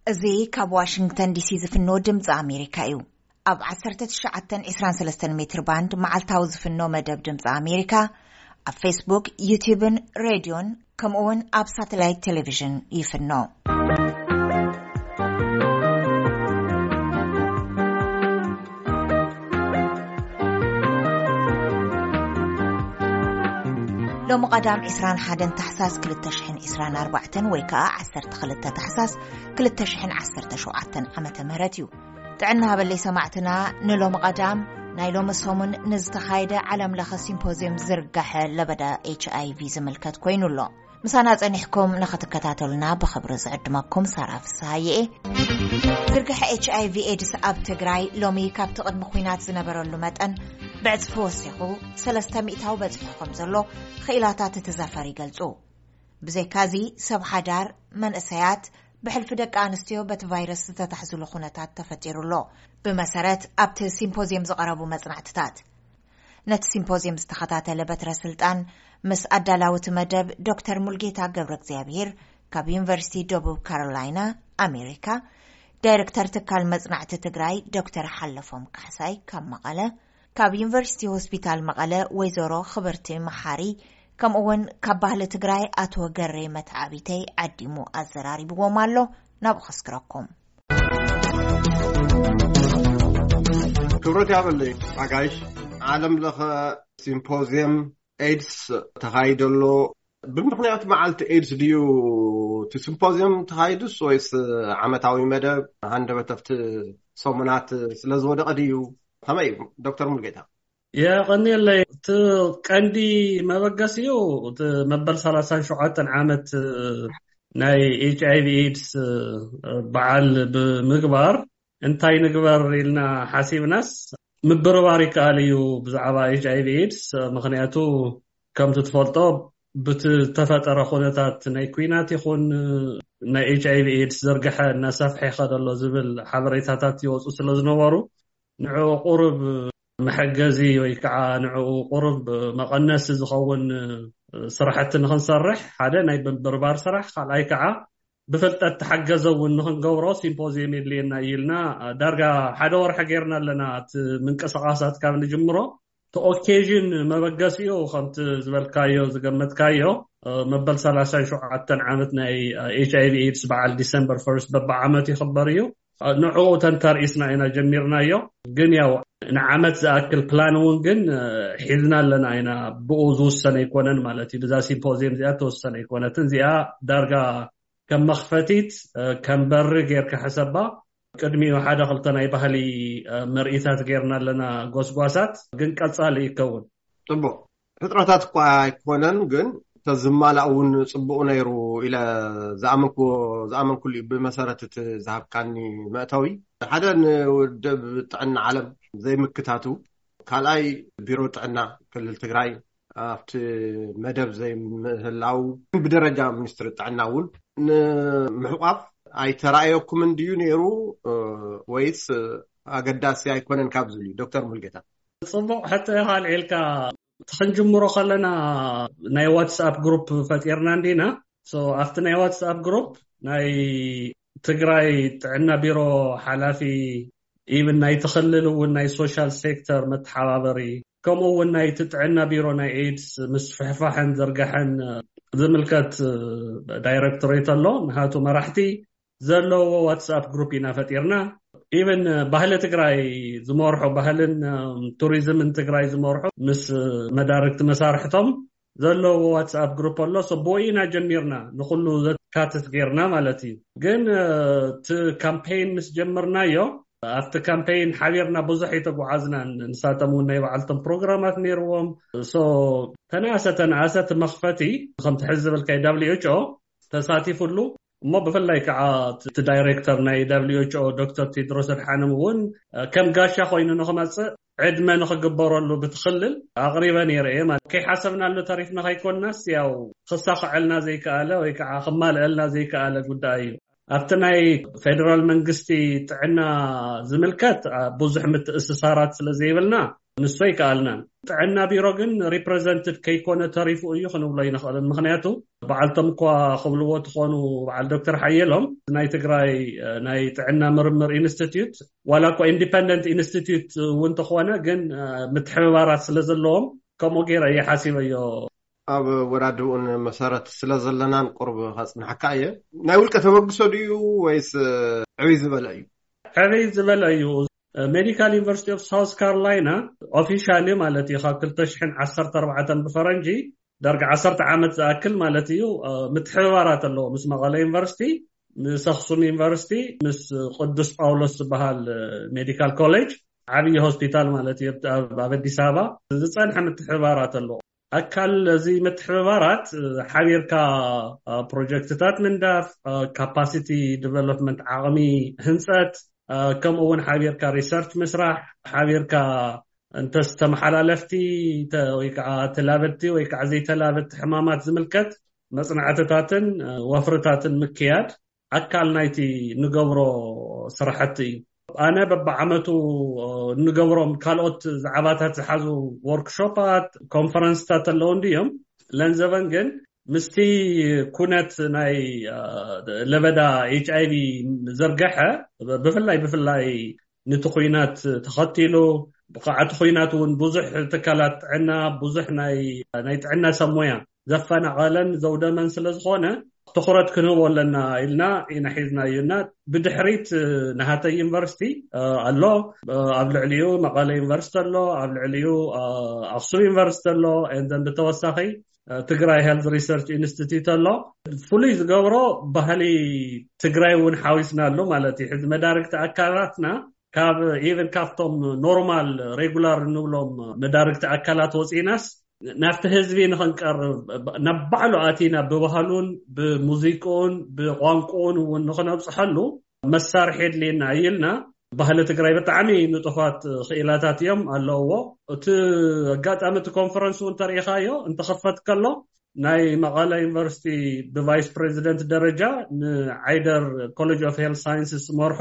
እዚ ካብ ዋሽንግተን ዲሲ ዝፍኖ ድምፂ ኣሜሪካ እዩ። ኣብ ዓሰርተ ትሽዓተ ዕስራን ሰለስተን ሜትር ባንድ መዓልታዊ ዝፍኖ መደብ ድምፂ ኣሜሪካ ኣብ ፌስቡክ፣ ዩቲብን ሬድዮን ከምኡ እውን ኣብ ሳተላይት ቴሌቪዥን ይፍኖ። ሎሚ ቀዳም ዕስራን ሓደን ታሕሳስ ክልተ ሽሕን ዕስራን ኣርባዕተን ወይ ከዓ ዓሰርተ ክልተ ታሕሳስ ክልተ ሽሕን ዓሰርተ ሸውዓተን ዓመተ ምህረት እዩ። ጥዕና ሃበለይ ሰማዕትና፣ ንሎሚ ቀዳም ናይ ሎሚ ሰሙን ንዝተኻየደ ዓለም ለኸ ሲምፖዚየም ዝርጋሐ ለበዳ ኤች ኣይ ቪ ዝምልከት ኮይኑ ኣሎ። ምሳና ጸኒሕኩም ንኽትከታተሉና ብኽብሪ ዝዕድመኩም ሳራ ፍስሃየ እየ። ዝርግሐ ኤች ኣይ ቪ ኤድስ ኣብ ትግራይ ሎሚ ካብቲ ቅድሚ ኲናት ዝነበረሉ መጠን ብዕጽፊ ወሲኹ ሰለስተ ሚእታዊ በጺሑ ከም ዘሎ ክኢላታት እቲ ዘፈር ይገልጹ። ብዘይካዚ ሰብ ሓዳር፣ መንእሰያት፣ ብሕልፊ ደቂ ኣንስትዮ በቲ ቫይረስ ዝተታሕዝሉ ኩነታት ተፈጢሩ ኣሎ። ብመሰረት ኣብቲ ሲምፖዚየም ዝቐረቡ መጽናዕትታት፣ ነቲ ሲምፖዚየም ዝተኸታተለ በትረ ስልጣን ምስ ኣዳላዊ እቲ መደብ ዶክተር ሙልጌታ ገብረ እግዚኣብሄር ካብ ዩኒቨርሲቲ ደቡብ ካሮላይና ኣሜሪካ፣ ዳይሬክተር ትካል መጽናዕቲ ትግራይ ዶክተር ሓለፎም ካሕሳይ ካብ መቐለ፣ ካብ ዩኒቨርሲቲ ሆስፒታል መቐለ ወይዘሮ ክብርቲ መሓሪ፣ ከምኡ እውን ካብ ባህሊ ትግራይ ኣቶ ገሬ መትዓቢተይ ዓዲሙ ኣዘራሪብዎም ኣሎ። ናብኡ ከስክረኩም። ክብረት ያበለይ ኣጋይሽ። ዓለም ለኸ ሲምፖዚየም ኤድስ ተኻይደ ኣሎ። ብምኽንያት መዓልቲ ኤድስ ድዩ እቲ ሲምፖዚየም ተኻይዱስ ወይስ ዓመታዊ መደብ ሃንደበት ኣብቲ ሰሙናት ስለ ዝወደቐ ድዩ? ከመይ እዩ ዶክተር ሙልጌታ? የቐንየለይ። እቲ ቀንዲ መበገሲኡ እቲ መበል ሰላሳን ሸውዓተን ዓመት ናይ ኤች ኣይ ቪ ኤድስ በዓል ብምግባር እንታይ ንግበር ኢልና ሓሲብናስ ምብርባር ይከኣል እዩ ብዛዕባ ኤች ኣይ ቪ ኤድስ። ምኽንያቱ ከምቲ ትፈልጦ ብቲ ተፈጠረ ኩነታት ናይ ኩናት ይኹን ናይ ኤች ኣይ ቪ ኤድስ ዘርግሐ እናሰፍሐ ይኸደሎ ዝብል ሓበሬታታት ይወፁ ስለ ዝነበሩ ንዕኡ ቁሩብ መሐገዚ ወይ ከዓ ንዕኡ ቁሩብ መቐነሲ ዝኸውን ስራሕቲ ንክንሰርሕ ሓደ ናይ ምብርባር ስራሕ፣ ካልኣይ ከዓ ብፍልጠት ተሓገዘ እውን ንክንገብሮ ሲምፖዚየም የድልየና እዩ ኢልና ዳርጋ ሓደ ወርሒ ጌርና ኣለና። እቲ ምንቅስቃሳት ካብ ንጅምሮ እቲ ኦኬዥን መበገሲኡ ከምቲ ዝበልካዮ ዝገመትካዮ መበል ሰላሳን ሸውዓተን ዓመት ናይ ኤች ኣይ ቪ ኤድስ በዓል ዲሰምበር ፈርስት በብዓመት ይኽበር እዩ። ንዕኡ ተንተርኢስና ኢና ጀሚርናዮ። ግን ያው ንዓመት ዝኣክል ፕላን እውን ግን ሒዝና ኣለና ኢና። ብኡ ዝውሰነ ኣይኮነን ማለት እዩ። ብዛ ሲምፖዚየም እዚኣ ተወሰነ ኣይኮነትን። እዚኣ ዳርጋ ከም መኽፈቲት ከም በሪ ጌርካ ሕሰባ። ቅድሚኡ ሓደ ክልተ ናይ ባህሊ ምርኢታት ጌርና ኣለና፣ ጎስጓሳት ግን ቀጻሊ ይከውን። ጽቡቕ። ፍጥረታት እኳ ኣይኮነን፣ ግን ተዝማላእ እውን ጽቡቕ ነይሩ ኢለ ዝኣመንኩ ዝኣመንኩሉ እዩ። ብመሰረት እቲ ዝሃብካኒ መእተዊ ሓደ ንውድብ ጥዕና ዓለም ዘይምክታቱ፣ ካልኣይ ቢሮ ጥዕና ክልል ትግራይ ኣብቲ መደብ ዘይምህላው፣ ብደረጃ ሚኒስትሪ ጥዕና እውን ንምሕቋፍ ኣይተራእየኩምን ድዩ ነይሩ ወይስ ኣገዳሲ ኣይኮነን ካብ ዝብል እዩ? ዶክተር ሙልጌታ። ጽቡቕ ሕቶ ኢኻ ኣልዒልካ። እቲ ክንጅምሮ ከለና ናይ ዋትስኣፕ ግሩፕ ፈጢርና እንዲና። ሶ ኣብቲ ናይ ዋትስኣፕ ግሩፕ ናይ ትግራይ ጥዕና ቢሮ ሓላፊ፣ ኢቭን ናይቲ ክልል እውን ናይ ሶሻል ሴክተር መተሓባበሪ፣ ከምኡ እውን ናይቲ ጥዕና ቢሮ ናይ ኤድስ ምስፍሕፋሕን ዝርጋሐን ዝምልከት ዳይሬክቶሬት ኣሎ። ንሃቱ መራሕቲ ዘለዎ ዋትስኣፕ ግሩፕ ኢና ፈጢርና። ኢቨን ባህሊ ትግራይ ዝመርሑ፣ ባህልን ቱሪዝምን ትግራይ ዝመርሑ ምስ መዳርግቲ መሳርሕቶም ዘለዎ ዋትስኣፕ ግሩፕ ኣሎ። ብኡ ኢና ጀሚርና፣ ንኩሉ ዘካትት ጌርና ማለት እዩ። ግን እቲ ካምፔይን ምስ ጀመርናዮ፣ ኣብቲ ካምፔይን ሓቢርና ብዙሕ ኣይተጓዓዝናን። ንሳቶም እውን ናይ ባዕልቶም ፕሮግራማት ነይርዎም። ሶ ተናእሰ ተናእሰ እቲ መኽፈቲ ከምቲ ሕዚ ዝበልካይ ዳብሊው ኤች ኦ ተሳቲፉሉ። እሞ ብፍላይ ከዓ እቲ ዳይሬክተር ናይ ዳብሊው ኤች ኦ ዶክተር ቴድሮስ ኣድሓኖም እውን ከም ጋሻ ኮይኑ ንክመፅእ ዕድመ ንክግበረሉ ብትክልል ኣቕሪበ ነይረ እየ። ማለት ከይሓሰብናሉ ተሪፍና ከይኮንናስ፣ ያው ክሳኽዐልና ዘይከኣለ ወይ ከዓ ክማልአልና ዘይከኣለ ጉዳይ እዩ። ኣብቲ ናይ ፌደራል መንግስቲ ጥዕና ዝምልከት ብዙሕ ምትእስሳራት ስለ ዘይብልና፣ ንሱ ኣይከኣልናን። ጥዕና ቢሮ ግን ሪፕሬዘንትድ ከይኮነ ተሪፉ እዩ ክንብሎ ኣይንኽእልን። ምኽንያቱ በዓልቶም እኳ ክብልዎ ትኾኑ፣ በዓል ዶክተር ሓየሎም ናይ ትግራይ ናይ ጥዕና ምርምር ኢንስቲትዩት ዋላ እኳ ኢንዲፐንደንት ኢንስቲትዩት እውን ተኾነ ግን ምትሕብባራት ስለ ዘለዎም ከምኡ ገይረ እየ ሓሲበዮ። ኣብ ወዳድኡን መሰረት ስለ ዘለናን ቁርብ ከጽንሓካ እየ። ናይ ውልቀ ተበግሶ ድዩ ወይስ ዕብይ ዝበለ እዩ? ዕብይ ዝበለ እዩ። ሜዲካል ዩኒቨርሲቲ ኦፍ ሳውስ ካሮላይና ኦፊሻሊ ማለት እዩ ካብ ክልተ ሽሕን ዓሰርተ ኣርባዕተን ብፈረንጂ ዳርጋ ዓሰርተ ዓመት ዝኣክል ማለት እዩ ምትሕብባራት ኣለዎ ምስ መቐለ ዩኒቨርሲቲ፣ ምስ ኣክሱም ዩኒቨርሲቲ፣ ምስ ቅዱስ ጳውሎስ ዝበሃል ሜዲካል ኮሌጅ ዓብዪ ሆስፒታል ማለት እዩ ኣብ ኣዲስ ኣበባ ዝፀንሐ ምትሕብባራት ኣለዎ። ኣካል እዚ ምትሕብባራት ሓቢርካ ፕሮጀክትታት ምንዳፍ፣ ካፓሲቲ ዲቨሎፕመንት ዓቕሚ ህንፀት፣ ከምኡ እውን ሓቢርካ ሪሰርች ምስራሕ፣ ሓቢርካ እንተስ ተመሓላለፍቲ ወይ ከዓ ተላበድቲ ወይ ከዓ ዘይተላበድቲ ሕማማት ዝምልከት መፅናዕትታትን ወፍርታትን ምክያድ ኣካል ናይቲ ንገብሮ ስራሕቲ እዩ። ኣነ በብዓመቱ ንገብሮም ካልኦት ዛዕባታት ዝሓዙ ወርክሾፓት፣ ኮንፈረንስታት ኣለዉ እንድዮም። ለንዘበን ግን ምስቲ ኩነት ናይ ለበዳ ኤች ኣይቪ ዘርገሐ ብፍላይ ብፍላይ ነቲ ኩናት ተኸቲሉ፣ ብኸዓ እቲ ኩናት እውን ብዙሕ ትካላት ጥዕና፣ ብዙሕ ናይ ናይ ጥዕና ሰብ ሞያ ዘፈናቐለን ዘውደመን ስለ ዝኾነ ትኹረት ክንህቦ ኣለና ኢልና ኢና ሒዝናዮ እና ብድሕሪት ናሃተይ ዩኒቨርሲቲ ኣሎ፣ ኣብ ልዕሊኡ መቐለ ዩኒቨርሲቲ ኣሎ፣ ኣብ ልዕሊኡ ኣክሱም ዩኒቨርሲቲ ኣሎ። And then ብተወሳኺ ትግራይ ሄልዝ ሪሰርች ኢንስቲትዩት ኣሎ። ፍሉይ ዝገብሮ ባህሊ ትግራይ እውን ሓዊስና ኣሎ ማለት እዩ። ሕዚ መዳርግቲ ኣካላትና ካብ ኢቨን ካብቶም ኖርማል ሬጉላር እንብሎም መዳርግቲ ኣካላት ወፂናስ ናብቲ ህዝቢ ንኽንቀርብ ናብ ባዕሉ ኣቲና ብባህሉን ብሙዚቅኡን ብቋንቋኡን እውን ንኽነብፅሐሉ መሳርሒ የድልየና እይልና። ባህሊ ትግራይ ብጣዕሚ ንጡፋት ክኢላታት እዮም ኣለውዎ። እቲ ኣጋጣሚ እቲ ኮንፈረንስ እውን ተሪኢኻዮ እንተኸፈት ከሎ ናይ መቐለ ዩኒቨርሲቲ ብቫይስ ፕሬዚደንት ደረጃ ንዓይደር ኮሌጅ ኦፍ ሄልት ሳይንስስ ዝመርሑ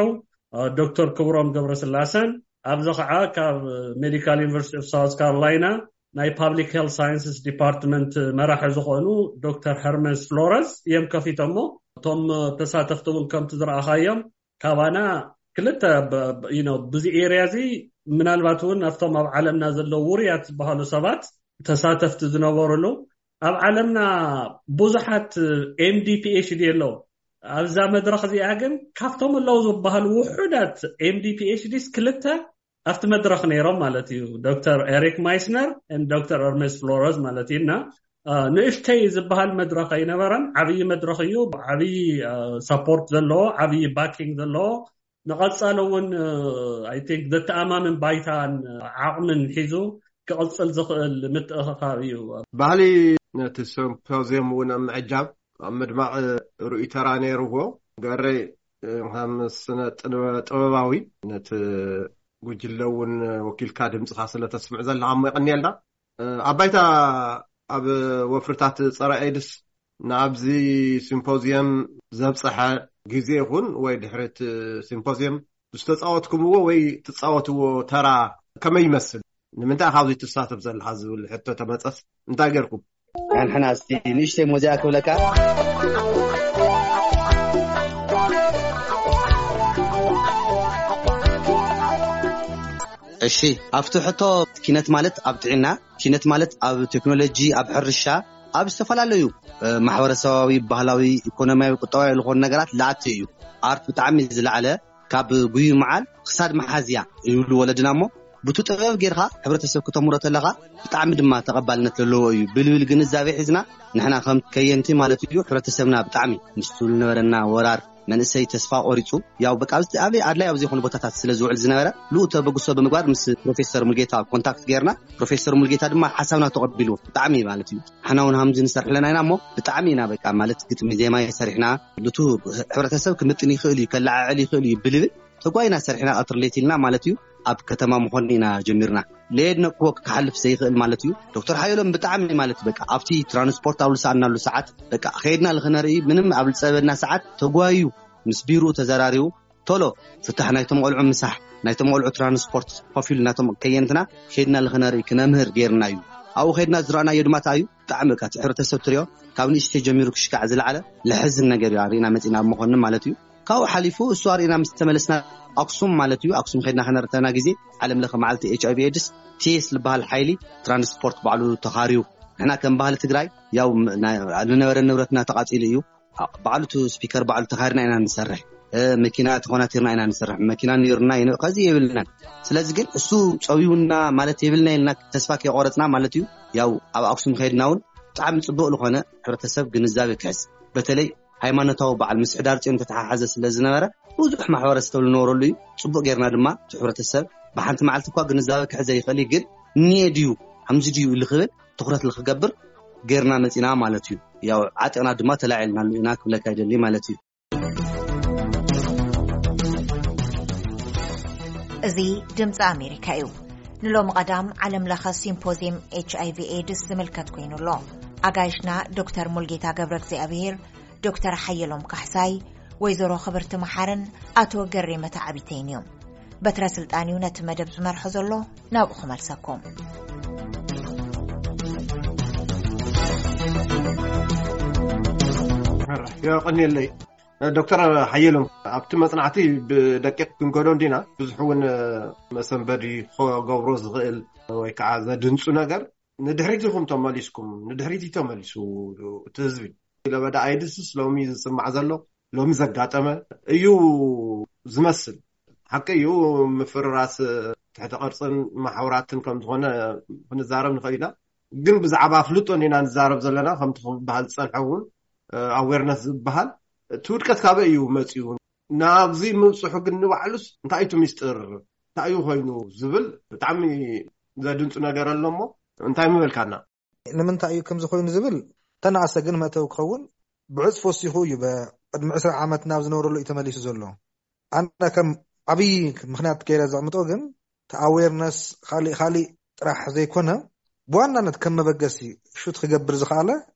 ዶክተር ክብሮም ገብረስላሰን ኣብዚ ከዓ ካብ ሜዲካል ዩኒቨርሲቲ ኦፍ ሳውት ካሮላይና ናይ ፓብሊክ ሄልት ሳይንስስ ዲፓርትመንት መራሒ ዝኾኑ ዶክተር ሄርመስ ፍሎረስ እዮም ከፊቶሞ። እቶም ተሳተፍቲ እውን ከምቲ ዝረኣኻዮም ካባና ክልተ ብዚ ኤርያ እዚ ምናልባት እውን ኣብቶም ኣብ ዓለምና ዘለዉ ውሩያት ዝበሃሉ ሰባት ተሳተፍቲ ዝነበሩሉ ኣብ ዓለምና ብዙሓት ኤምዲ ፒኤችዲ ኣለዉ። ኣብዛ መድረኽ እዚኣ ግን ካብቶም ኣለዉ ዝበሃሉ ውሑዳት ኤምዲ ፒኤችዲስ ክልተ ኣብቲ መድረኽ ነይሮም ማለት እዩ። ዶክተር ኤሪክ ማይስነር ዶክተር ኤርሜስ ፍሎረስ ማለት እዩ እና ንእሽተይ ዝበሃል መድረኽ ኣይነበረን። ዓብዪ መድረኽ እዩ። ዓብዪ ሰፖርት ዘለዎ፣ ዓብዪ ባኪንግ ዘለዎ፣ ንቐፃሊ እውን ኣይ ቲንክ ዘተኣማምን ባይታን ዓቕምን ሒዙ ክቕፅል ዝኽእል ምትእኽኻብ እዩ። ባህሊ ነቲ ሲምፖዚየም እውን ኣብ ምዕጃብ ኣብ ምድማቕ ርኡይ ተራ ነይርዎ። ገረይ ከም ስነ ጥበባዊ ነቲ ጉጅለ እውን ወኪልካ ድምፅኻ ስለ ተስምዕ ዘለኻ እሞ የቐንየልና። ኣብ ባይታ ኣብ ወፍርታት ፀረ ኤድስ ንኣብዚ ሲምፖዚየም ዘብፀሐ ግዜ ይኹን ወይ ድሕሪት ሲምፖዚየም ዝተፃወትኩምዎ ወይ ትፃወትዎ ተራ ከመይ ይመስል? ንምንታይ ኢኻ ኣብዚ ትሳተፍ ዘለኻ ዝብል ሕቶ ተመፀስ እንታይ ገርኩም? ንሕና እስቲ ንእሽተይ ሞዚኣ ክብለካ። እሺ፣ ኣብቲ ሕቶ ኪነት ማለት ኣብ ጥዕና፣ ኪነት ማለት ኣብ ቴክኖሎጂ፣ ኣብ ሕርሻ፣ ኣብ ዝተፈላለዩ ማሕበረሰባዊ፣ ባህላዊ፣ ኢኮኖሚያዊ፣ ቁጠባዊ ዝኾኑ ነገራት ለኣቲ እዩ። ኣርት ብጣዕሚ ዝለዓለ ካብ ጉዩ መዓል ክሳድ መሓዝያ ይብሉ ወለድና እሞ ብቱ ጥበብ ጌርካ ሕብረተሰብ ክተምሮ ተለኻ ብጣዕሚ ድማ ተቐባልነት ዘለዎ እዩ። ብልብል ግንዛቤ ሒዝና ንሕና ከም ከየንቲ ማለት እዩ ሕብረተሰብና ብጣዕሚ ምስቱ ዝነበረና ወራር መንእሰይ ተስፋ ቆሪፁ ያው በቃ ኣብዚ ኣበይ ኣድላይ ኣብ ዘይኮኑ ቦታታት ስለ ዝውዕል ዝነበረ ልኡ ተበግሶ ብምግባር ምስ ፕሮፌሰር ሙልጌታ ኮንታክት ጌርና ፕሮፌሰር ሙልጌታ ድማ ሓሳብና ተቐቢሉ ብጣዕሚ ማለት እዩ ሓና እውን ሃምዚ ንሰርሕ ኣለና ኢና እሞ ብጣዕሚ ኢና በቃ ማለት ግጥሚ ዜማ ሰሪሕና ልቱ ሕብረተሰብ ክምጥን ይኽእል እዩ ከለዓዕል ይኽእል እዩ ብልብል ተጓይና ሰሪሕና ቀትሪ ሌት ኢልና ማለት እዩ ኣብ ከተማ ምኾን ኢና ጀሚርና ለየድ ነቅዎ ክሓልፍ ዘይኽእል ማለት እዩ ዶክተር ሓየሎም ብጣዕሚ ማለት በቃ ኣብቲ ትራንስፖርት ኣብ ልሰኣናሉ ሰዓት በቃ ከይድና ልኽነርኢ ምንም ኣብ ልፀበና ሰዓት ተጓዩ ምስ ቢሩ ተዘራሪቡ ቶሎ ፍታሕ ናይቶም ቆልዑ ምሳሕ፣ ናይቶም ቆልዑ ትራንስፖርት ኮፍ ኢሉ ናቶም ከየንትና ኸይድና ልኽነርኢ ክነምህር ጌርና እዩ። ኣብኡ ኸይድና ዝረኣናዮ ድማ እንታይ እዩ? ብጣዕሚ በቃ እቲ ሕብረተሰብ ትሪኦ ካብ ንእሽተይ ጀሚሩ ክሽካዕ ዝለዓለ ለሕዝን ነገር እዩ ኣርእና መፂና ኣብ መኾንን ማለት እዩ። ካብኡ ሓሊፉ እሱ ኣርእና ምስ ተመለስና ኣክሱም ማለት እዩ፣ ኣክሱም ኸይድና ከነርተና ግዜ ዓለም ለኸ መዓልቲ ኤች ኣይቪ ኤድስ ቲኤስ ዝበሃል ሓይሊ ትራንስፖርት ባዕሉ ተኻርዩ፣ ንሕና ከም ባህሊ ትግራይ ያው ም- ናይ- ዝነበረ ንብረትና ተቓፂሉ እዩ። ባዕሉ እቲ ስፒከር ባዕሉ ተኻርና ኢና ንሰርሕ። መኪና ተኾናቲርና ኢና ንሰርሕ፣ መኪና ነይሩና ከዚ የብልናን። ስለዚ ግን እሱ ፀዊውና ማለት የብልና ኢልና ተስፋ ከይቆረፅና ማለት እዩ። ያው ኣብ ኣክሱም ከይድና እውን ብጣዕሚ ፅቡቅ ዝኾነ ሕብረተሰብ ግንዛቤ ክሕዝ፣ በተለይ ሃይማኖታዊ በዓል ምስ ሕዳር ፅዮን ተተሓሓዘ ስለ ዝነበረ ብዙሕ ማሕበረሰብ ዝነበረሉ እዩ። ፅቡቅ ጌርና ድማ እቲ ሕብረተሰብ ብሓንቲ መዓልቲ እኳ ግንዛቤ ክሕዘ ይኽእል እዩ፣ ግን እኒኤ ድዩ ከምዚ ድዩ ኢሉ ክብል ትኹረት ልክገብር ጌርና መፂና ማለት እዩ። ያው ዓጢቕና ድማ ተላዒልናሉ ኢና ክብለካ ይደሊ ማለት እዩ። እዚ ድምፂ ኣሜሪካ እዩ። ንሎሚ ቀዳም ዓለም ለኸ ሲምፖዚየም ኤች ኣይቪ ኤድስ ዝምልከት ኮይኑ ኣሎ። ኣጋይሽና ዶክተር ሙልጌታ ገብረ እግዚኣብሔር፣ ዶክተር ሓየሎም ካሕሳይ፣ ወይዘሮ ክብርቲ መሓርን ኣቶ ገሬ መታዕቢተይን እዮም። በትረ ስልጣን እዩ ነቲ መደብ ዝመርሖ ዘሎ። ናብኡ ክመልሰኩም። የቐንየለይ። ዶክተር ሓየሎም፣ ኣብቲ መፅናዕቲ ብደቂቕ ክንከዶ እንዲና፣ ብዙሕ እውን መሰንበዲ ክገብሮ ዝኽእል ወይ ከዓ ዘድንፁ ነገር ንድሕሪት ኢኹም ተመሊስኩም። ንድሕሪት እዩ ተመሊሱ እቲ ህዝቢ። ለበዳ ኣይድስስ ሎሚ ዝስማዕ ዘሎ፣ ሎሚ ዘጋጠመ እዩ ዝመስል። ሓቂ እዩ፣ ምፍርራስ ትሕተ ቅርፅን ማሕውራትን ከም ዝኾነ ክንዛረብ ንኽእል ኢና። ግን ብዛዕባ ኣፍልጦ እንዲና ንዛረብ ዘለና፣ ከምቲ ክበሃል ዝፀንሐ እውን ኣዌርነስ ዝበሃል እቲ ውድቀት ካበይ እዩ መፂኡ? ናብዚ ምብፅሑ ግን ንባዕሉስ እንታይ እዩ እቲ ሚስጥር? እንታይ እዩ ኮይኑ ዝብል ብጣዕሚ ዘድንፁ ነገር ኣሎ እሞ እንታይ ምበልካና? ንምንታይ እዩ ከምዚ ኮይኑ ዝብል ተናኣሰ ግን መእተዊ ክኸውን ብዕፅፊ ወሲኹ እዩ። ቅድሚ ዕስራ ዓመት ናብ ዝነበረሉ እዩ ተመሊሱ ዘሎ። ኣነ ከም ዓብዪ ምኽንያት ገይረ ዘቕምጦ ግን እቲ ኣዌርነስ ካሊእ ካሊእ ጥራሕ ዘይኮነ፣ ብዋናነት ከም መበገሲ ሹት ክገብር ዝኸኣለ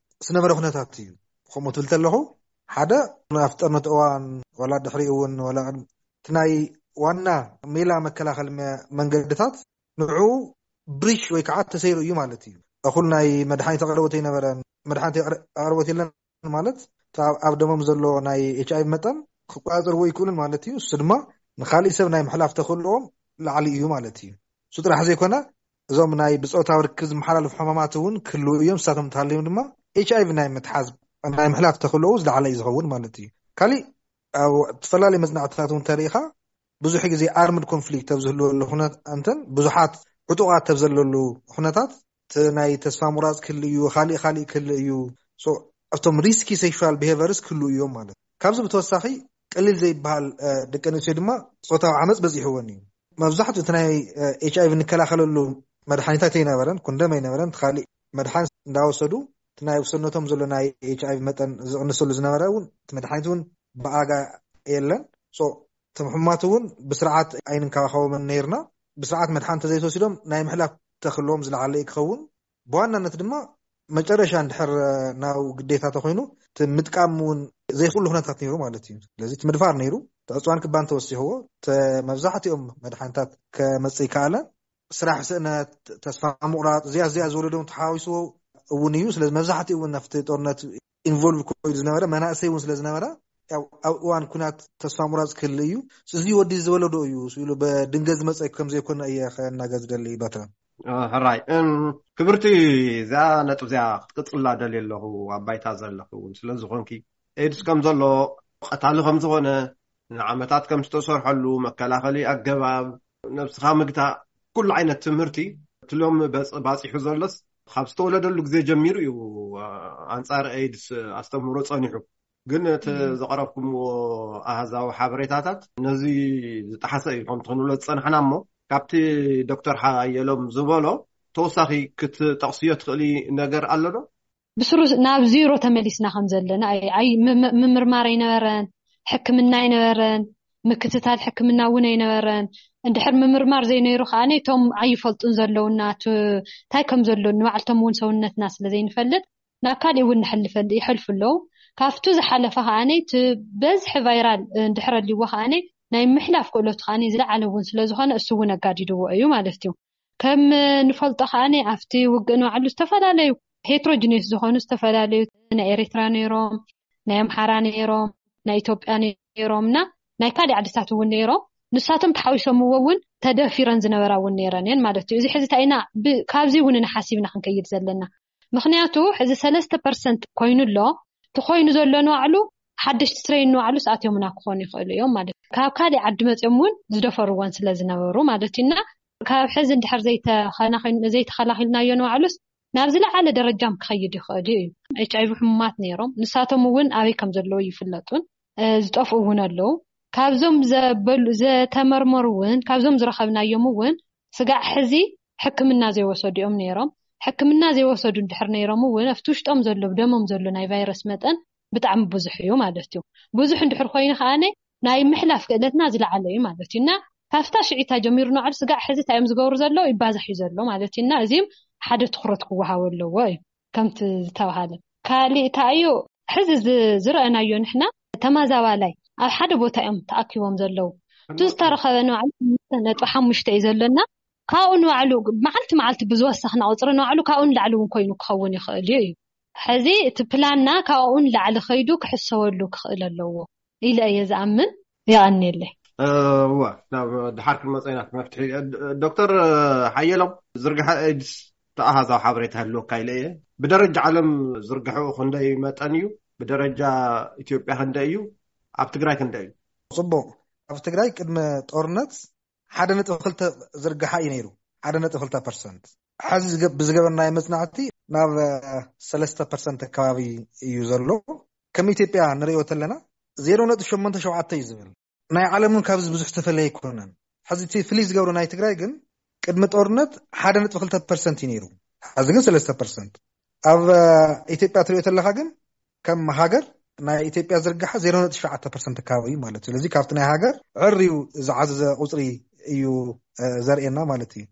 ዝነበረ ኩነታት እዩ። ከምኡ ትብል ተለኹ፣ ሓደ ኣብቲ ጦርነት እዋን ዋላ ድሕሪኡ እውን ዋላ ቅድሚ እቲ ናይ ዋና ሜላ መከላኸሊ መ- መንገድታት ንዑ ብሪሽ ወይ ከዓ ተሰይሩ እዩ ማለት እዩ። እኹል ናይ መድሓኒት ኣቕርቦት ኣይነበረን። መድሓኒት ኣቕር- ኣቕርቦት የለን ማለት እቲ ኣብ- ኣብ ደሞም ዘሎ ናይ ኤች ኣይቪ መጠን ክቆፃፀርዎ ይክእሉን ማለት እዩ። እሱ ድማ ንካሊእ ሰብ ናይ ምሕላፍ ተኽእልኦም ላዕሊ እዩ ማለት እዩ። እሱ ጥራሕ ዘይኮነ እዞም ናይ ብፆታዊ ርክብ ዝመሓላለፉ ሕማማት እውን ክህልው እዮም። ንሳቶም እንተሃልዮም ድማ ኤች ኣይቪ ናይ ምትሓዝ ናይ ምሕላፍ ተኽእልኡ ዝለዓለ እዩ ዝኸውን ማለት እዩ። ካሊእ ኣብ ዝተፈላለዩ መፅናዕትታት እውን ተሪኢኻ ብዙሕ ግዜ ኣርምድ ኮንፍሊክት ኣብ ዝህልወሉ ኩነት እንተን ብዙሓት ዕጡቓት ኣብ ዘለሉ ኩነታት እቲ ናይ ተስፋ ምቑራፅ ክህሉ እዩ፣ ካሊእ ካሊእ ክህሉ እዩ። ሶ ኣብቶም ሪስኪ ሴክሹዋል ቢሄቨርስ ክህሉ እዮም ማለት እዩ። ካብዚ ብተወሳኺ ቀሊል ዘይበሃል እ፣ ደቂ ኣንስትዮ ድማ ፆታዊ ዓመፅ በዚሕወን እዩ። መብዛሕትኡ እቲ ናይ ኤች ኣይቪ እንከላኸለሉ መድሓኒታት ኣይነበረን፣ ኮንደም ኣይነበረን፣ እቲ ካሊእ መድሓን እንዳወሰዱ እቲ ናይ ውሰነቶም ዘሎ ናይ ኤች ኣይቪ መጠን ዝቕንሰሉ ዝነበረ እውን እቲ መድሓኒት እውን ብኣጋ የለን። ሶ እቶም ሕሙማት እውን ብስርዓት ኣይንንከባኸቦምን ነይርና። ብስርዓት መድሓን ተዘይተወሲዶም ናይ ምሕላፍ ተኽእልዎም ዝለዓለ እዩ ክኸውን። ብዋናነት ድማ መጨረሻ እንድሕር ናብ ግዴታ ተኮይኑ እቲ ምጥቃም እውን ዘይክእሉ ኩነታት ነይሩ ማለት እዩ። ስለዚ እቲ ምድፋር ነይሩ፣ እቲ ዕፅዋን ክባን ተወሲኽዎ፣ ተ- መብዛሕትኦም መድሓኒታት ከመፅእ ይከኣለ። ስራሕ ስእነት፣ ተስፋ ምቑራፅ፣ እዚኣ እዚኣ ዝወለዶም ተሓዋዊስዎ እውን እዩ። ስለዚ መብዛሕትኡ እውን ኣብቲ ጦርነት ኢንቮልቭ ኮይኑ ዝነበረ መናእሰይ እውን ስለ ዝነበረ ያው ኣብ እዋን ኩናት ተስፋ ምቑራፅ ክህል እዩ። እዚ ወዲ ዝወለዶ እዩ ኢሉ ብድንገት ዝመፀ ከም ዘይኮነ እየ ከናገር ዝደሊ በትረ። ሕራይ እም፣ ክብርቲ፣ እዚኣ ነጥብ እዚኣ ክትቅፅላ ደልየ ኣለኹ። ኣብ ባይታ ዘለኹ እውን ስለ ዝኾንኪ ኤድስ ከም ዘሎ፣ ቀታሊ ከም ዝኾነ፣ ንዓመታት ከም ዝተሰርሐሉ፣ መከላኸሊ ኣገባብ ነብስኻ ምግታእ፣ ኩሉ ዓይነት ትምህርቲ እቲ ሎም በፅ- ባፂሑ ዘሎስ ካብ ዝተወለደሉ ግዜ ጀሚሩ እዩ። ኣንፃር ኤድስ ኣስተምህሮ ፀኒሑ። ግን እቲ ዘቕረብኩምዎ ኣሃዛዊ ሓበሬታታት ነዚ ዝጠሓሰ እዩ። ከምቲ ክንብሎ ዝፀናሕና እሞ፣ ካብቲ ዶክተር ሓየሎም ዝበሎ ተወሳኺ ክትጠቕስዮ ትኽእሊ ነገር ኣሎ ዶ? ብስሩ ናብ ዜሮ ተመሊስና ከም ዘለና። ኣይ- ኣይ- ም- ም- ምምርማር ኣይነበረን፣ ሕክምና ኣይነበረን፣ ምክትታል ሕክምና እውን ኣይነበረን። እንድሕር ምምርማር ዘይነይሩ ከዓ እቶም ኣይፈልጡን ዘለውና፣ እቲ እንታይ ከም ዘሎ ንባዕልቶም እውን ሰውነትና ስለ ዘይንፈልጥ ናብ ካሊእ እውን ንሕልፈል ይሐልፉ ኣለዉ። ካብቱ ዝሓለፈ ከዓነይ እቲ በዝሒ ቫይራል እንድሕር ኣልይዎ ከዓነይ ናይ ምሕላፍ ክእለቱ ከዓኒ ዝለዓለ እውን ስለ ዝኾነ እሱ እውን ኣጋዲድዎ እዩ ማለት እዩ። ከም ንፈልጦ ከዓኒ ኣብቲ ውግእ ንባዕሉ ዝተፈላለዩ ሄትሮጂኒየስ ዝኾኑ ዝተፈላለዩ ናይ ኤርትራ ነይሮም፣ ናይ ኣምሓራ ነይሮም፣ ናይ ኢትዮጵያ ነይሮም እና ናይ ካልእ ዓድታት እውን ነይሮም። ንሳቶም ተሓዊሶምዎ እውን ተደፊረን ዝነበራ እውን ነይረን እየን ማለት እዩ። እዚ ሕዚ እንታይ ኢና ብ- ካብዚ እውን ንሓሲብና ክንከይድ ዘለና? ምክንያቱ ሕዚ ሰለስተ ፐርሰንት ኮይኑ ኣሎ። እቲ ኮይኑ ዘሎ ንባዕሉ ሓደሽቲ ትሬን ንባዕሉ ስኣትዮምና ክኾኑ ይኽእሉ እዮም ማለት እዩ። ካብ ካልእ ዓዲ መፅኦም እውን ዝደፈርዎን ስለ ዝነበሩ ማለት እዩ እና ካብ ሕዚ እንድሕር ዘይተኸናኺን- ዘይተኸላኺልናዮ ንባዕሉስ ናብ ዝለዓለ ደረጃም ክኸይድ ይኽእል እዩ። ኤች ኣይቪ ሕሙማት ነይሮም፣ ንሳቶም እውን ኣበይ ከም ዘለዉ ይፍለጡን ዝጠፍኡ እውን ኣለዉ። ካብዞም ዘበሉ- ዘተመርመሩ እውን ካብዞም ዝረኸብናዮም እውን ስጋዕ ሕዚ ሕክምና ዘይወሰዱ እዮም ነይሮም። ሕክምና ዘይወሰዱ እንድሕር ነይሮም እውን ኣብቲ ውሽጦም ዘሎ ብደሞም ዘሎ ናይ ቫይረስ መጠን ብጣዕሚ ብዙሕ እዩ ማለት እዩ። ብዙሕ እንድሕር ኮይኑ ከዓነ ናይ ምሕላፍ ክእለትና ዝለዓለ እዩ ማለት እዩ እና ካብታ ሽዒታ ጀሚሩ ንባዕሉ ስጋዕ ሕዚ እንታይ እዮም ዝገብሩ ዘለዉ ይባዛሕ እዩ ዘሎ ማለት እዩ እና እዚም ሓደ ትኩረት ክወሃቦ ኣለዎ እዩ። ከምቲ ዝተባሃለ ካልእ እንታይ እዩ ሕዚ ዝ- ዝረአናዮ ንሕና ተማዛባላይ ኣብ ሓደ ቦታ እዮም ተኣኪቦም ዘለዉ። እቲ ዝተረኸበ ንባዕሉ ነጥቢ ሓሙሽተ እዩ ዘለና። ካብኡ ንባዕሉ መዓልቲ መዓልቲ ብዝወሰኽና ቁፅሪ ንባዕሉ ካብኡ ንላዕሊ እውን ኮይኑ ክኸውን ይኽእል እዩ እዩ። ሕዚ እቲ ፕላንና ካብኡ ንላዕሊ ከይዱ ክሕሰበሉ ክኽእል ኣለዎ ኢለ እየ ዝኣምን። የቐንየለይ። እወ፣ ናብ ድሓር ክንመፀ ኢና መፍትሒ። ዶክተር ሓየሎም፣ ዝርግሐ ኤድስ ተኣሃዛዊ ሓበሬታ ህልወካ ኢለ እየ። ብደረጃ ዓለም ዝርግሐኡ ክንደይ መጠን እዩ? ብደረጃ ኢትዮጵያ ክንደይ እዩ? ኣብ ትግራይ ክንደይ እዩ? ፅቡቅ። ኣብ ትግራይ ቅድመ ጦርነት ሓደ ነጥቢ ክልተ ዝርግሓ እዩ ነይሩ። ሓደ ነጥቢ ክልተ ፐርሰንት። ሕዚ ዝገ- ብዝገበርናዮ መፅናዕቲ ናብ ሰለስተ ፐርሰንት ኣከባቢ እዩ ዘሎ። ከም ኢትዮጵያ ንሪኦ ተለና ዜሮ ነጥቢ ሸሞንተ ሸውዓተ እዩ ዝብል። ናይ ዓለም እውን ካብዚ ብዙሕ ዝተፈለየ ኣይኮነን። ሕዚ እቲ ፍልይ ዝገብሮ ናይ ትግራይ ግን ቅድሚ ጦርነት ሓደ ነጥቢ ክልተ ፐርሰንት እዩ ነይሩ። ሕዚ ግን ሰለስተ ፐርሰንት። ኣብ ኢትዮጵያ ትሪኦ ተለካ ግን ከም ሃገር ናይ ኢትዮጵያ ዝርግሓ ዜሮ ነጥቢ ሸውዓተ ፐርሰንት ኣከባቢ እዩ ማለት እዩ። ስለዚ ካብቲ ናይ ሃገር ዕርዩ ዝዓዘዘ ቁፅሪ እዩ ዘርእየና ማለት እዩ።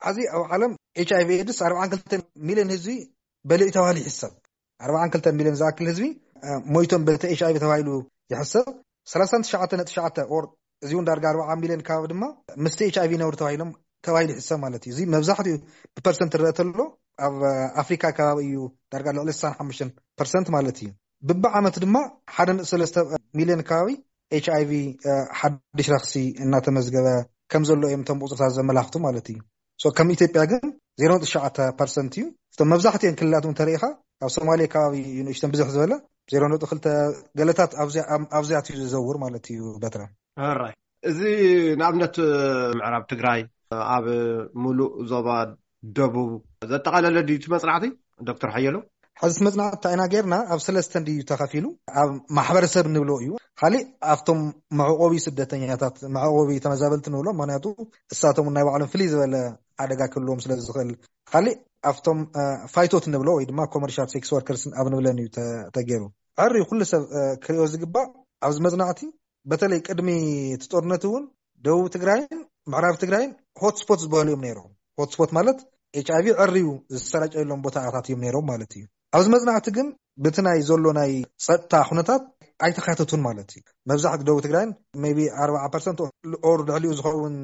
ሕዚ ኣብ ዓለም ኤች ኣይቪ ኤድስ ኣርባዓን ክልተ ሚልዮን ህዝቢ በሊዑ ተባሂሉ ይሕሰብ። ኣርባዓን ክልተ ሚልዮን ዝኣክል ህዝቢ ሞይቶም በቲ ኤች ኣይቪ ተባሂሉ ይሕሰብ። ሰላሳን ትሽዓተ ነጥቢ ትሽዓተ ኦር እዚ እውን ዳርጋ ኣርባዓ ሚልዮን ከባቢ ድማ ምስቲ ኤች ኣይቪ ነብሩ ተባሂሎም ተባሂሉ ይሕሰብ ማለት እዩ። እዚ መብዛሕትኡ ብፐርሰንት ትረአ ተሎ ኣብ ኣፍሪካ ከባቢ እዩ ዳርጋ ልዕሊ ስሳን ሓሙሽተን ፐርሰንት ማለት እዩ። ብብዓመት ድማ ሓደ ነጥቢ ሰለስተ ሚልዮን ከባቢ ኤች ኣይቪ ሓድሽ ረክሲ እናተመዝገበ ከም ዘሎ እዮም እቶም ቁፅርታት ዘመላኽቱ ማለት እዩ። ከም ኢትዮጵያ ግን ዜሮ ነጥቢ ትሽዓተ ፐርሰንት እዩ። እቶም መብዛሕትኦም ክልላት እውን ተሪኢኻ ኣብ ሶማሌ ከባቢ እዩ ንእሽተን ብዝሕ ዝበለ ዜሮ ነጥቢ ክልተ ገለታት ኣብዚኣት እዩ ዝዘውር ማለት እዩ። በትረ ራይ እዚ ንኣብነት ምዕራብ ትግራይ ኣብ ሙሉእ ዞባ ደቡብ ዘጠቓለለ ድዩ እቲ መፅናዕቲ ዶክተር ሓየሎ? ሕዚ መፅናዕቲ እንታይ ኢና ጌርና ኣብ ሰለስተ እንድዩ ተኸፊሉ። ኣብ ማሕበረሰብ ንብሎ እዩ። ካሊእ ኣብቶም መዕቆቢ ስደተኛታት መዕቆቢ ተመዛበልቲ ንብሎ፣ ምክንያቱ እሳቶም ናይ ባዕሎም ፍልይ ዝበለ ሓደጋ ክህልዎም ስለ ዝኽእል። ካሊእ ኣብቶም ፋይቶት ንብሎ ወይ ድማ ኮመርሻል ሴክስ ወርከርስ ኣብ ንብለን እዩ ተገይሩ። ዕሪ ኩሉ ሰብ ክሪኦ ዝግባእ ኣብዚ መፅናዕቲ በተለይ ቅድሚ እቲ ጦርነት እውን ደቡብ ትግራይን ምዕራብ ትግራይን ሆትስፖት ዝበሃሉ እዮም ነይሮም። ሆትስፖት ማለት ኤች ኣይቪ ዕርዩ ዝሰራጨየሎም ቦታታት እዮም ነይሮም ማለት እዩ። ኣብዚ መፅናዕቲ ግን ብቲ ናይ ዘሎ ናይ ፀጥታ ኩነታት ኣይተካተቱን ማለት እዩ። መብዛሕትኡ ደቡብ ትግራይን ቢ ኣርባዓ ፐርሰንት ኦር ልዕሊኡ ዝኸውን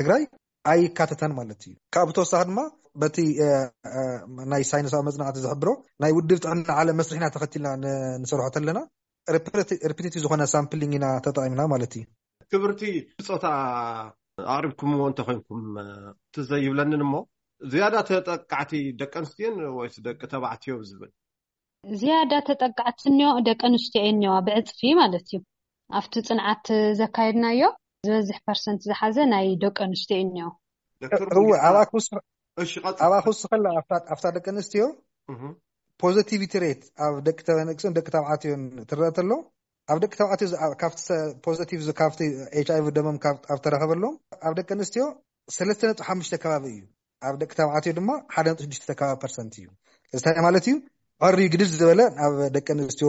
ትግራይ ኣይካተተን ማለት እዩ። ካብ ብተወሳኺ ድማ በቲ ናይ ሳይንሳዊ መፅናዕቲ ዝሕብሮ ናይ ውድብ ጥዕና ዓለም መስርሕና ተኸቲልና ንሰርሖ ተለና ሪፒቲቲቭ ዝኾነ ሳምፕሊንግ ኢና ተጠቒምና ማለት እዩ። ክብርቲ ብፆታ ኣቕሪብኩምዎ እንተኮይንኩም ትዘይብለንን እሞ ዝያዳ ተጠቃዕቲ ደቂ ኣንስትዮን ወይስ ደቂ ተባዕትዮ ዝብል? ዝያዳ ተጠቃዕቲ እኒኦ ደቂ ኣንስትዮ እኒዋ ብዕፅፊ ማለት እዩ። ኣብቲ ፅንዓት ዘካየድናዮ ዝበዝሕ ፐርሰንት ዝሓዘ ናይ ደቂ ኣንስትዮ እኒኦ። እወ ኣብኣ ክውስኽ ኣብኣ ክውስኸላ ኣብታ ደቂ ኣንስትዮ ፖዘቲቪቲ ሬት ኣብ ደቂ ተበነቅስን ደቂ ተባዕትዮን ትረአ ተሎ ኣብ ደቂ ተባዕትዮ ካብቲ ፖዘቲቭ ካብቲ ኤች ኣይቪ ደሞም ኣብ ተረኸበሎም ኣብ ደቂ ኣንስትዮ ሰለስተ ነጥቢ ሓሙሽተ ከባቢ እዩ። ኣብ ደቂ ተባዕትዮ ድማ ሓደ ነጥቢ ሽዱሽተ ከባቢ ፐርሰንት እዩ። እዚ እንታይ ማለት እዩ? ዕሪ ግድድ ዝበለ ኣብ ደቂ ኣንስትዮ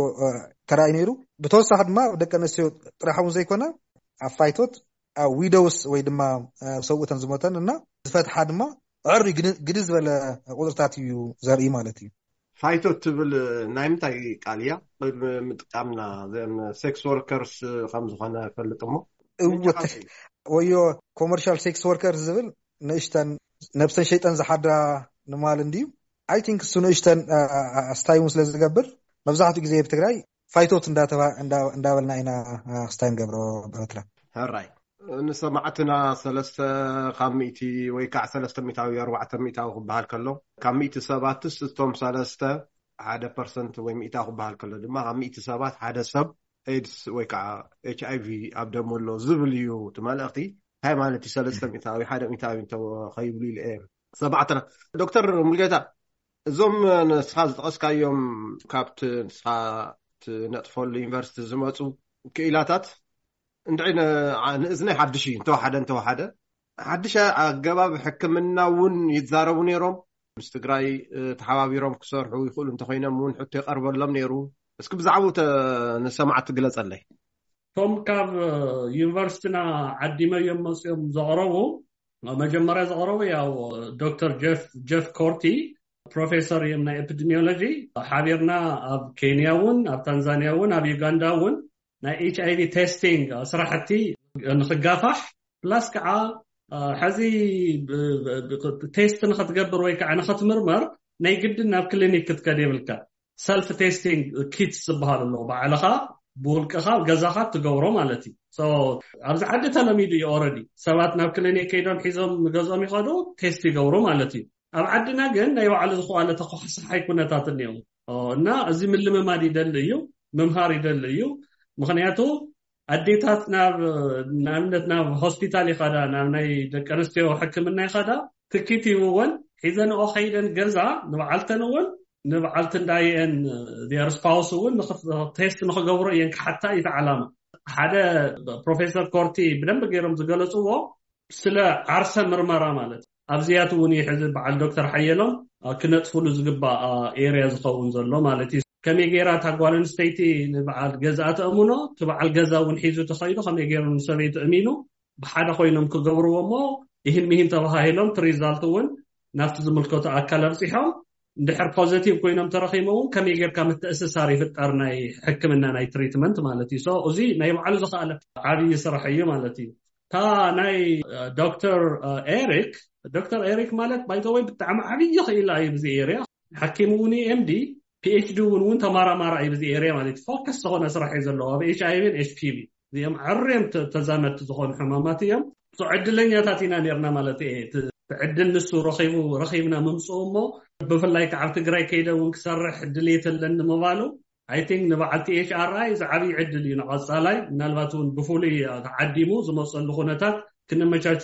ተራእዩ ነይሩ። ብተወሳኺ ድማ ኣብ ደቂ ኣንስትዮ ጥራሕ እውን ዘይኮነ ኣብ ፋይቶት ኣብ ዊዶውስ ወይ ድማ ሰብኡተን ዝሞተን እና ዝፈትሓ ድማ ዕሪ ግድድ ዝበለ ቁፅርታት እዩ ዘርኢ ማለት እዩ። ፋይቶት ትብል ናይ ምንታይ ቃል እያ? ቅድሚ ምጥቃምና ዘን ሴክስ ወርከርስ ከም ዝኾነ ፈልጥ እሞ እወ፣ ወዮ ኮመርሻል ሴክስ ወርከር ዝብል ንእሽተን ነብሰን ሸይጠን ዝሓድራ ንማል እንድዩ። I think እሱ ንእሽተን ኣስታይሙ ስለ ዝገብር መብዛሕትኡ ግዜ ኣብ ትግራይ ፋይቶት እንዳበልና ኢና ክስታይ ንገብሮ። በትራ ሕራይ ንሰማዕትና ሰለስተ ካብ ሚእቲ ወይ ከዓ ሰለስተ ሚእታዊ ኣርባዕተ ሚእታዊ ክበሃል ከሎ ካብ ሚእቲ ሰባትስ እቶም ሰለስተ ሓደ ፐርሰንት ወይ ሚእታዊ ክበሃል ከሎ ድማ ካብ ሚእቲ ሰባት ሓደ ሰብ ኤድስ ወይ ከዓ ኤች ኣይ ቪ ኣብ ደሞ ኣሎ ዝብል እዩ እቲ መልእኽቲ። እንታይ ማለት እዩ? ሰለስተ ሚእታዊ ሓደ ሚእታዊ እንተኸይብሉ ኢለ እየ ሰማዕትና። ዶክተር ሙልጌታ፣ እዞም ንስኻ ዝጠቐስካዮም ካብቲ ንስኻ ትነጥፈሉ ዩኒቨርሲቲ ዝመፁ ክኢላታት እንድዒ ንእዝነይ ሓድሽ እዩ። እንተወሓደ እንተወሓደ ሓድሽ ኣገባብ ሕክምና እውን ይዛረቡ ነይሮም። ምስ ትግራይ ተሓባቢሮም ክሰርሑ ይኽእሉ እንተኮይኖም እውን ሕቶ ይቐርበሎም ነይሩ። እስኪ ብዛዕባኡ ንሰማዕቲ ግለፀለይ። እቶም ካብ ዩኒቨርሲቲና ዓዲመዮም መፅኦም ዘቕረቡ፣ መጀመርያ ዘቕረቡ ያው ዶክተር ጀፍ ኮርቲ ፕሮፌሰር እዮም ናይ ኤፒዲሚዮሎጂ። ሓቢርና ኣብ ኬንያ እውን ኣብ ታንዛኒያ እውን ኣብ ዩጋንዳ እውን ናይ ኤች ኣይ ቪ ቴስቲንግ ስራሕቲ ንክጋፋሕ ፕላስ ከዓ ሕዚ ቴስት ንክትገብር ወይ ከዓ ንክትምርመር ናይ ግድን ናብ ክሊኒክ ክትከድ የብልካ። ሰልፍ ቴስቲንግ ኪትስ ዝበሃል ኣሎ። ባዕልኻ ብውልቅኻ ገዛኻ ትገብሮ ማለት እዩ። ኣብዚ ዓዲ ተለሚዱ እዩ። ኦረዲ ሰባት ናብ ክሊኒክ ከይዶም ሒዞም ንገዝኦም ይኸዱ፣ ቴስት ይገብሩ ማለት እዩ። ኣብ ዓድና ግን ናይ ባዕሉ ዝኸዋለ ተኳሳሓይ ኩነታት እኒኦ እና እዚ ምልምማድ ይደሊ እዩ፣ ምምሃር ይደሊ እዩ። ምክንያቱ ኣዴታት ናብ ንኣብነት ናብ ሆስፒታል ይኸዳ፣ ናብ ናይ ደቂ ኣንስትዮ ሕክምና ይኸዳ፣ ትኪት ይብወን ሒዘንኦ ከይደን ገዛ ንበዓልተን እውን ንበዓልቲ እንዳየን ር ስፓውስ እውን ቴስት ንክገብሮ እየን ክሓታ እዩ ዓላማ። ሓደ ፕሮፌሰር ኮርቲ ብደንብ ገይሮም ዝገለፅዎ ስለ ዓርሰ ምርመራ ማለት ኣብዚያት እውን እዩ ሕዚ በዓል ዶክተር ሓየሎም ክነጥፍሉ ዝግባእ ኤርያ ዝኸውን ዘሎ ማለት እዩ። ከመይ ገይራ እታ ጓል ኣንስተይቲ ንበዓል ገዛኣ ተእምኖ፣ እቲ በዓል ገዛ እውን ሒዙ ተኸይዱ ከመይ ገይሩ ንሰበይቱ እሚኑ ብሓደ ኮይኖም ክገብርዎ እሞ ይህን ሚህን ተባሃሂሎም እቲ ሪዛልት እውን ናብቲ ዝምልከቶ ኣካል ኣብፂሖም እንድሕር ፖዘቲቭ ኮይኖም ተረኺቦም እውን ከመይ ጌርካ ምትእስሳር ይፍጠር ናይ ሕክምና ናይ ትሪትመንት ማለት እዩ። So እዚ ናይ ባዕሉ ዝኸኣለ ዓብዪ ስራሕ እዩ ማለት እዩ። እታ ናይ ዶክተር ኤሪክ ዶክተር ኤሪክ ማለት ባይዘወይ ብጣዕሚ ዓብዪ ክኢላ እዩ ብዚ ኤርያ። ሓኪም እውን ኤምዲ ፒኤችዲ እውን እውን ተማራማራ እዩ ብዚ ኤርያ ማለት እዩ። ፎከስ ዝኾነ ስራሕ እዩ ዘለዎ ኣብ ኤች ኣይ ቪ ኤች ፒ ቪ እዚኦም ዓርዮም ተዛመድቲ ዝኾኑ ሕማማት እዮም። ዕድለኛታት ኢና ነርና ማለት እየ። ዕድል ንሱ ረኺቡ ረኺብና ምምፅኡ እሞ ብፍላይ ከዓ ኣብ ትግራይ ከይደ እውን ክሰርሕ ድሌት ኣለኒ ምባሉ I think ንበዓልቲ ኤች ኣር ኣይ እዚ ዓብዪ ዕድል እዩ ንቐፃላይ ምናልባት እውን ብፍሉይ ተዓዲሙ ዝመፀሉ ኩነታት ክነመቻቹ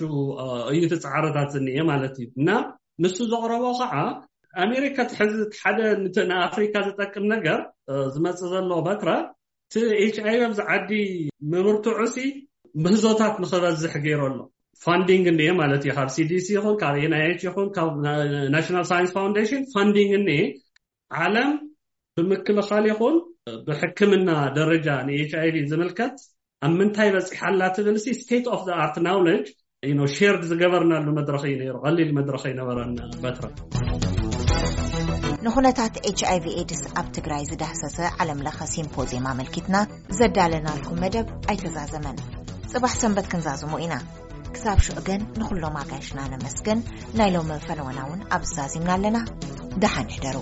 እዩ እቲ ፃዕርታት ዝኒኤ ማለት እዩ። እና ንሱ ዘቕረቦ ከዓ ኣሜሪካ ትሕዚ ሓደ ንኣፍሪካ ዝጠቅም ነገር ዝመፅእ ዘሎ በትረ እቲ ኤች ኣይ ቪ ኣብዚ ዓዲ ምብርትዑ ሲ ምህዞታት ንክበዝሕ ገይሩ ኣሎ። ፋንዲንግ እኒኤ ማለት እዩ። ካብ ሲዲሲ ይኹን ካብ ኤንኣይኤች ይኹን ካብ ናሽናል ሳይንስ ፋውንዴሽን ፋንዲንግ እኒኤ ዓለም ብምክልኻል ይኹን ብሕክምና ደረጃ ንኤች ኣይ ቪ ዝምልከት ኣብ ምንታይ በፂሓ ኣላ ትብል ሲ ስቴት ኦፍ ኣርት ናውለጅ ሼርድ ዝገበርናሉ መድረኽ እዩ ነይሩ። ቀሊል መድረኽ ኣይነበረን። በትረ ንኩነታት ኤች ኣይ ቪ ኤድስ ኣብ ትግራይ ዝዳህሰሰ ዓለም ለኸ ሲምፖዚየም ኣመልኪትና ዘዳለናልኩም መደብ ኣይተዛዘመን። ፅባሕ ሰንበት ክንዛዝሞ ኢና። ክሳብ ሽዑ ግን ንኩሎም ኣጋይሽና ነመስግን። ናይ ሎሚ ፈነወና እውን ኣብዚ ዛዚምና ኣለና። ደሓን ሕደሩ።